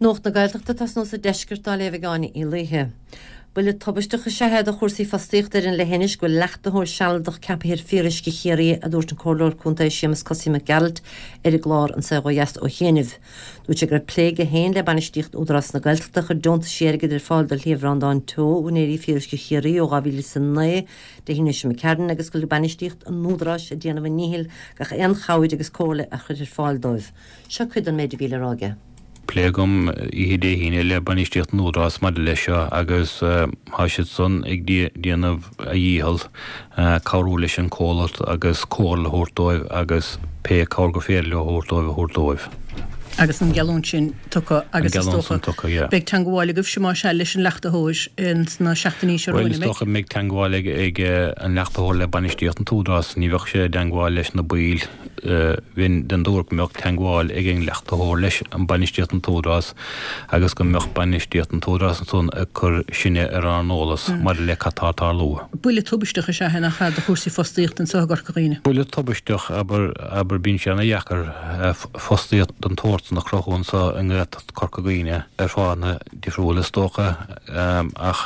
Nuacht na Gaeltachta ag tosnú sa deisceart á léamh ag Áine Uí Laoithe. Buille tubaisteach is ea é do chúrsaí fostaíochta ar an leithinis go bhfuil leachtaitheoir sealadach ceaptha ar Fíoruisce Chiarraí, a dúirt an Comhairleoir Contae Séamus Cosaí Mac Gearailt ar an gclár An Saol Ó Dheas ó chianaibh. Dúirt sé go raibh plé aige féin le bainistíocht Údarás na Gaeltachta a chuir deontaisí airgid ar fáil do Shliabh Bhreandáin Teo, úinéirí Fíoruisce Chiarraí ó 2009 Dé hAoine seo McCarron agus go bhfuil bainistíocht an Údaráis ag déanamh a ndíchill gach aon chabhair agus comhairle a chur ar fáil dóibh. Seo cuid den méid a bhí le rá aige. Plé agam oíche Dé hAoine le bainistíocht an Údarás maidir leis seo agus tá siad san ag déanamh a dhícheall cabhrú leis an comhlacht agus comhairle a thabhairt dóibh agus pé cabhair gur féidir leo a thabhairt dóibh a thabhairt dóibh. Agus an gheallúint sin tugtha agus is dócha beidh teangmháil agaibhse más ea leis an leachtaitheoir sna seachtainí seo romhainn, an mbeidh? Bhuel is dócha go mbeidh teangmháil ag an leachtaitheoir le bainistíocht an tÚdarás, ní bheadh sé i dteangmháil leis na baill. Bheinn den tuairim go mbeadh teagmháil ag an leachtaitheoir leis an bainistíocht an tÚdarás agus go mbeadh bainistíocht an tÚdarás ansan ag cur sinne ar ár n-eolas maidir le cad tá ag tarlú. Buille tubaisteach is ea é nach ea do chúrsaí fostaíochta anseo i gCorca Dhuibhne? Buille tubaisteach, abair, abair, bíonn sé ana dheacair fostaíocht den tsórt san a chruthú anseo i nGaeltacht Chorca Dhuibhne ar fáthanna difriúla is dócha ach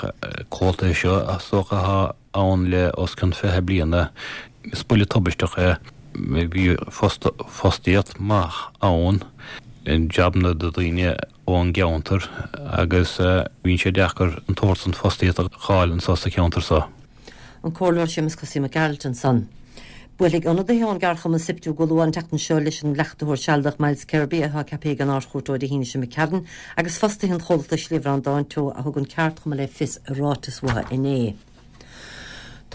comhaltaí seo is dócha atá ann le os cionn 20 bliana. Is buille tubaisteach é. Bhí fostaíocht maith ann, jabanna do dhaoine ón gceantar agus bíonn sé deacair an tsórt san fostaíocht a dh'fháil anso sa cheantar so. An Comhairleoir Séamus Cosaí Mac Gearailt ansan. Buailfidh ionadaithe ón gceardchumann Siptu go luath an tseachtain seo leis an leachtaitheoir sealadach Myles Kirby atá ceaptha ag an Ard-Chúirt Dé hAoine seo McCarron agus fostaithe an chomhlachta Sliabh Bhreandáin Teo a thug an ceardchumann le fios i ráiteas uathu inné.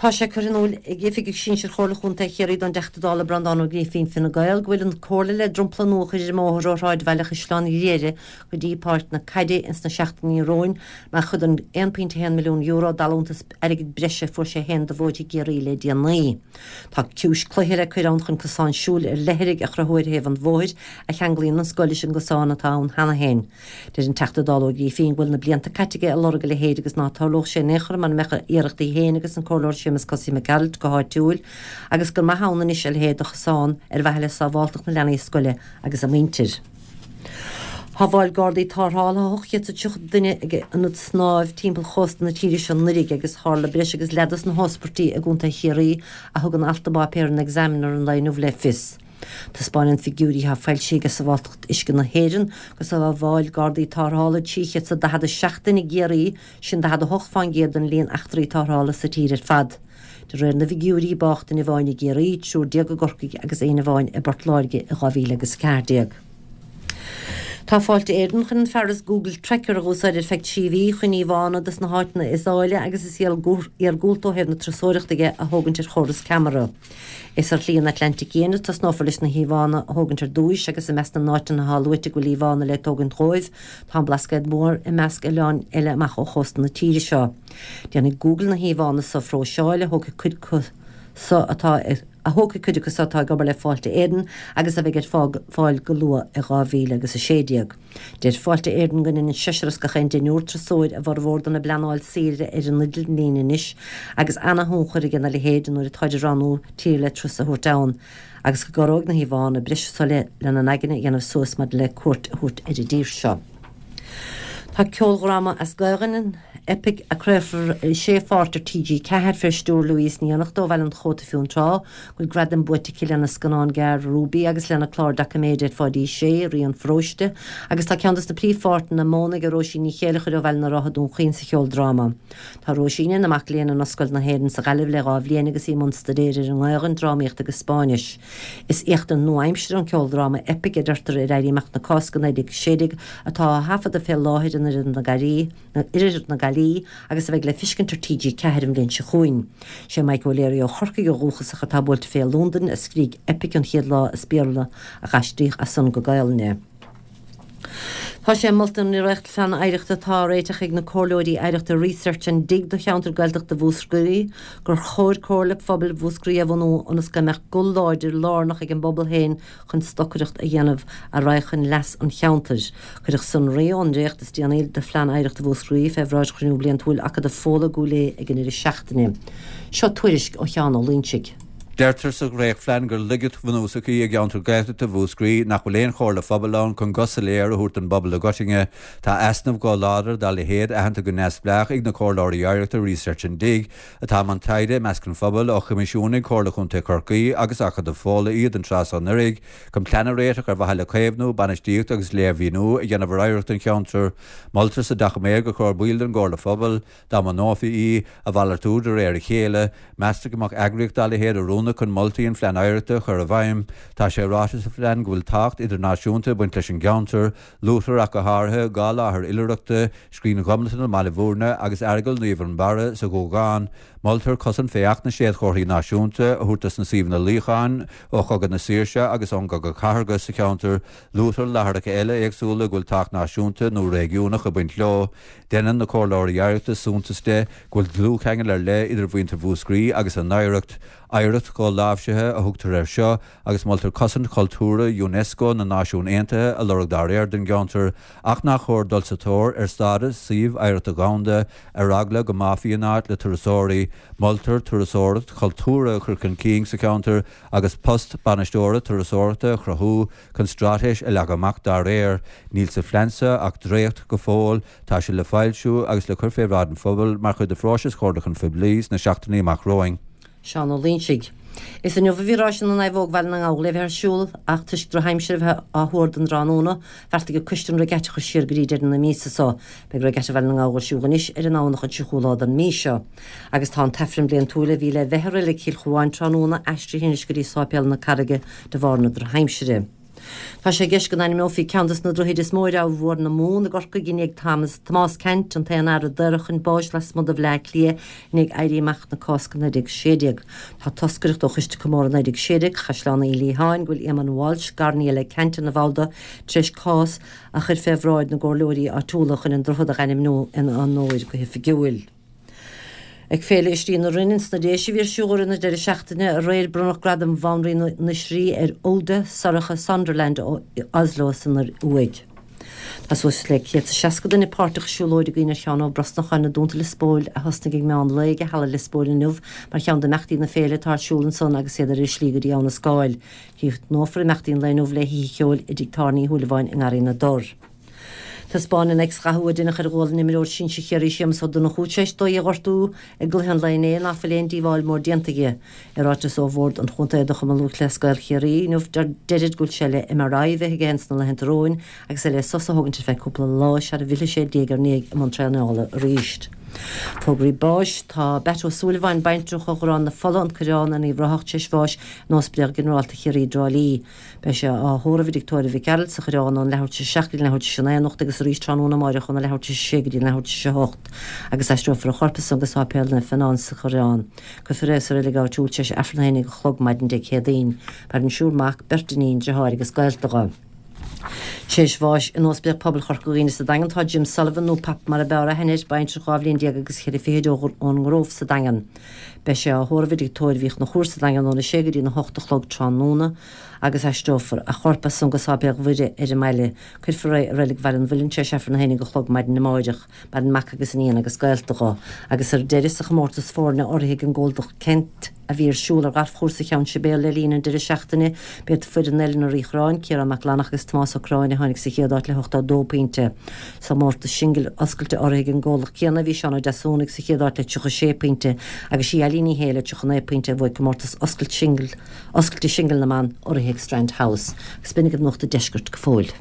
Tá sé curtha in iúl ag Oifigeach Sinsir Chomhairle Chontae Chiarraí don dTeachta Dála Breandán Ó Grífín, Fine Gael, go bhfuil an Comhairle le dromchla nua a chur ar an mbóthar ó shráidbhaile Chaisleán Ghriaire go dtí Páirc na Caide ins na seachtainí romhainn mar chuid den €1.1 milliún d'allúntas airgid breise a fuair sé féin do bhóithre Chiarraí le déanaí. Tá ciumhais cloiche le cur ann chun cosán siúil ar leithrigh a chruthú ar thaobh an bhóthair a cheanglaíonn an scoil leis an gcosán atá ann cheana féin. Deir an Teachta Dála Ó Grífín go bhfuil na blianta caite aige ag lorg a leithéid agus ná tarlódh sé in aon chor mura mbeadh a iarrachtaí féin agus an Comhairleoir Séamus Cosaí Mac Gearailt go háitiúil agus gur maith ann anois a leithéid de chosán ar mhaithe le sábháltacht na leanaí scoile agus a muintir. Shábháil Gardaí Tarrthála 830 duine ag ionad snámh timpeall chósta na tíre seo anuraidh agus tharla breis agus leath dos na hóspairtí i gContae Chiarraí a thugann alt i bpáipéar an Examiner an lae inniu le fios. Taispeánann figiúirí atá foilsithe ag Sábháilteacht Uisce na hÉireann gur sábháil Gardaí Tarrthála 347 duine i gCiarraí, sin 48 fán gcéad den líon eachtraí tarrthála sa tír ar fad. De réir na bhfigiúirí, bádh duine amháin i gCiarraí, triúr déag i gCorcaigh agus éinne amháin i bPort Láirge i 2014. Tá Fáilte Éireann chun an fearas Google Trekker a dh'úsáid ar feadh 3 mhí chun íomhánna dos na háiteanna is áille agus is iargúlta ó thaobh na turasóireachta dhe a thógaint ar chóras ceamara. Is ar Shlí an Atlantaigh Fhiáin a tosnófar leis na híomhánna a thógaint ar dtúis agus i measc na n-áiteanna atá luaite go bhfuil íomhánna le tógaint dhóibh tá an Blascaod Mór i measc oileáin eile amach ó chósta na tíre seo. Déanfaidh Google na híomhánna so a phróiseáil a thógfaidh cuid acu so atá a thógfaidh cuid acu so atá ag obair le Fáilte Éireann agus a bheidh ar fáil go luath i 2016. Deir Fáilte Éireann go ndeineann seisear as gach aon deichniúr turasóir a bhformhór dona bpleanáil saoire ar an idirlíon anois agus ana-thionchar aige na leithéid nuair atáid ag roghnú tír le turas a thabhairt ann agus go gcabhróidh na híomhánna breise so lena n-aigne a dhéanamh suas maidir le cuairt a thabhairt ar an dtír seo. Tá ceoldráma as Gaelainn, an eipic a craolfar i sé pháirt ar TG4 fé stiúir Louise Ní Fhiannachta ó Bhaile an Chóta Fionntrá, go bhfuil gradaim buaite aici lena scannán gearr Ruby agus lena clár doiciméide ar Pháidí Sé, Rí an Pharóiste, agus tá ceann dos na príomhpháirteanna móna ag Róisín Ní Chéileachair ó Bhaile na Rátha Dún Chaoin sa cheoldráma. Tá Róisín ina mac léinn in Ollscoil na hÉireann sa Ghaillimh le 2 bhliain agus í i mbun staidéir ar an nGaelainn, drámaíocht agus Spáinnis. Is éachtaint nua-aimseartha an ceoldráma eipic a deirtear ar Éirí Amach na Cásca 1916 atá á thaifeadadh fé láthair in Oirthear na Gaillimhe agus a bheidh le fiscint ar TG4 an bhliain seo chugainn. Sé Mike O'Leary ó Chorcaigh ó dhúchas ach atá buailte fé i Londain a scrígh eipic an chéad lá as Béarla ach aistríodh as san go Gaelainn é. Tá sé molta i ndréachtphlean oidhreachta atá á réiteach ag na comhairleoirí oidhreachta Research and Dig do cheantar Gaeltachta Mhúscraí gur chóir Comhairle Phobail Mhúscraí a bhunú ionas go mbeadh guth láidir lárnach ag an bpobal féin chun stocaireacht a dhéanamh a raghaidh chun leas an cheantair. Cuireadh sonraí ón ndréacht is déanaí de Phlean Oidhreachta Mhúscraí fé bhráid chruinniú bliantúil Acadamh Fódhla i gCúil Aodha ag an ndeireadh seachtaine. Seo tuairisc ó Sheán Ó Loingsigh. Deirtear sa dhréachtphlean gur laigeacht bhunúsach í i gceantar Gaeltachta Mhúscraí nach bhfuil aon chomhairle phobail ann chun guth soiléir a thabhairt don bpobal i gcoitinne. Tá easnamh chomh láidir dá leithéid aitheanta go neamhspleách ag na comhairleoirí oidhreachta Research and Dig, atá i mbun taighde i measc an phobail, ó choimisiúnaigh Comhairle Chontae Chorcaí agus Acadamh Fódhla iad an tráth seo anuraidh, chun plean a réiteach ar mhaithe le caomhnú, bainistíocht agus léirmhíniú a dhéanamh ar oidhreacht an cheantair. Moltar sa doiciméad gur chóir baill den gComhairle Phobail, Dá mbunófaí í, a mhalartú de réir a chéile, meastar go mbeadh eagraíocht dá leithéid oiriúnach chun moltaí an Phlean Oidhreachta a chur i bhfeidhm. Tá sé ráite sa phlean go bhfuil tábhacht idirnáisiúnta ag baint leis an gceantar, luaitear ach go háirithe 2 láthair oilithreachta, Scrín Ghobnatan i mBaile Bhúirne agus Aireagal Naomh Fhionnbarra sa Ghuagán. Moltar cosaint fé Acht na Séadchomharthaí Náisiúnta a thabhairt dos na suíomhanna luíocháin ó Chogadh na Saoirse agus ón gCogadh Cathartha sa cheantar. Luaitear láithreacha eile éagsúla go bhfuil tábhacht náisiúnta nó réigiúnach ag baint leo. Déanann na Comhairleoirí Oidhreachta suntas de go bhfuil dlúthcheangal ar leith idir mhuintir Mhúscraí agus a n-oidhreacht. Oidhreacht dholáimhsithe a thugtar air seo agus moltar cosaint chultúrtha Unesco na Náisiún Aontaithe a lorg dá réir don gceantar ach nach chóir dul sa tóir ar stádas Suíomh Oidhreachta Dhomhanda ar eagla go mbáfaí an áit le turasóirí. Moltar turasóireacht chultúrtha a chur chun cinn sa cheantar agus post bainisteora turasóireachta a chruthú Chun straitéis a leagadh amach dá réir. Níl sa phlean seo ach dréacht go fóill, tá sé le foilsiú agus le cur fé bhráid an phobail mar chuid de phróiseas chomhairliúcháin phoiblí sna seachtainí amach romhainn. Seán Ó Loingsigh. Is inniu a bhí Ráis na Naomhóg Bhaile na nGall le bheith ar siúl ach toisc drochaimsir a bheith á thuar don dtráthnóna, bheartaigh an coiste an regatta a chur siar go dtí deireadh na míosa seo. Beidh Regatta Bhaile na nGall ar siúl anois ar an nDomhnach an 30ú lá den mhí seo. Agus tá an tAifreann bliantúil a bhí le bheith i Reilig Chill Chuáin tráthnóna aistrithe anois go dtí Sáipéal na Carraige de bharr na drochaimsire. Tá sé i gceist go n-ainmneofaí ceann des na droichid is mó ar Abha Mhór na Mumhan i gCorcaigh i ndiaidh Thomas Tomás Ceannt, an t-aon fhear a daoradh chun báis lasmuigh de Bhleá Cliath i ndiaidh Éirí Amach na Cásca 1916. Tá toscaireacht ó Choiste Comórtha 1916 Chaisleán Uí Liatháin, go bhfuil Éamonn Walsh, garnia le Ceannt ina bhall de, tar éis cás a chur fé bhráid na gcomhairleoirí áitiúla chun an droichead a dh'ainmniú ina onóir go hoifigiúil. Ag Féile Oisrí na Rinne ins na Déise a bhí ar siúl i rith na deireadh seachtaine aréir bronnadh Gradam Bhanríon na nOisrí ar Oda Sorcha Sonderland ó Oslo san Ioruaidh. Tá suas le 160 duine páirteach i siúlóid i gcuimhne ar Sheán Ó Brosnacháin i dTuanta Lios Póil a thosnaigh ag meán lae ag Halla Lios Póil inniu mar cheann d'imeachtaí na féile atá ar siúl ansan agus iad ar a slí go dtí Abha na Scáil. Críochnófar imeachtaí an lae inniu le hoíche cheoil i dTigh Tábhairne Uí Shúilleabháin i nGarraí na dTor. Taispeáin an X-ghathú a deineadh ar ghualainn imreoir sinsir Chiarraí Séamus Ó Donnchú tar éis dó í a ghortú i gcluiche an lae inné ná fuil aon díobháil mór déanta dhi. I ráiteas ó Bhord an Chontae do Chumann Lúthchleas Gael Chiarraí inniu deirid go bhfuil sé le MRI a bheith aige ins na laethanta romhainn agus é le sos a thógaint ar feadh cúpla lá sara bhfillfidh sé diaidh ar ndiaidh i mbun traenála arís. Fógraí báis, Tá Batt Ó Súilleabháin, baintreach ó Gharrán na Fola, An Coireán, in Uíbh Ráthach tar éis bháis in Ospidéal Ginearálta Chiarraí i dTrá Lí. Beidh sé á thórramh i dTigh Tórraimh Mhic Gearailt sa Choireán ón leathuair tar éis a 7 go dtí an leathuair tar éis a 9 anocht agus arís tráthnóna amáireach óna leathuair tar éis a 6 go dtí an leathuair tar éis a 8 agus aistreofar a chorp ansan go Sáipéal Naomh Fionán sa Choireán. Cuirfear é sa reilig áitiúil tar éis Aifreann a haon déag a chlog maidin Dé Céadaoin. Maireann siúr mac, beirt iníon, driotháir agus gaolta dho. Tar éis bháis in Ospidéal Pobail Chorca Dhuibhne sa Daingean tá Jim Sullivan, nó Pap mar a b'fhearr aithne air, baintreach 12 bhliain agus cheithre fichid ón nGrove sa Daingean. Beidh sé á thórramh i dTigh Tórraimh Uí Chonchúir sa Daingean óna sé go dtí na hocht a chlog tráthnóna agus aistreofar a chorp as san go Sáipéal Mhuire ar an mbaile. Cuirfear é i Reilig Bhaile an Mhuilinn tar éis Aifreann a haon déag a chlog maidin amáireach. Maireann mac agus iníon agus gaolta dho. Agus ar deireadh, sa chomórtas foirne urraithe ag an gcomhlacht Kent a bhí ar siúl ar ghalfchúrsa Cheann Sibéal le linn an deireadh seachtaine, b'iad foireann Eilean an Reachráin, Ciarán Mac Fhlannach agus Tomás Ó Curráin a tháinig sa chéad áit le 82 pointe. Sa chomórtas singil oscailte urraithe ag an gcomhlacht céanna bhí Seán Ó Deasúnaigh sa chéad áit le 36 pointe agus sí Eileen Ní Shé le 39 pointe a bhuaigh comórtas oscailte singil na mban urraithe ag Strand House. Agus b'in agaibh Nuacht an Deiscirt go fóill.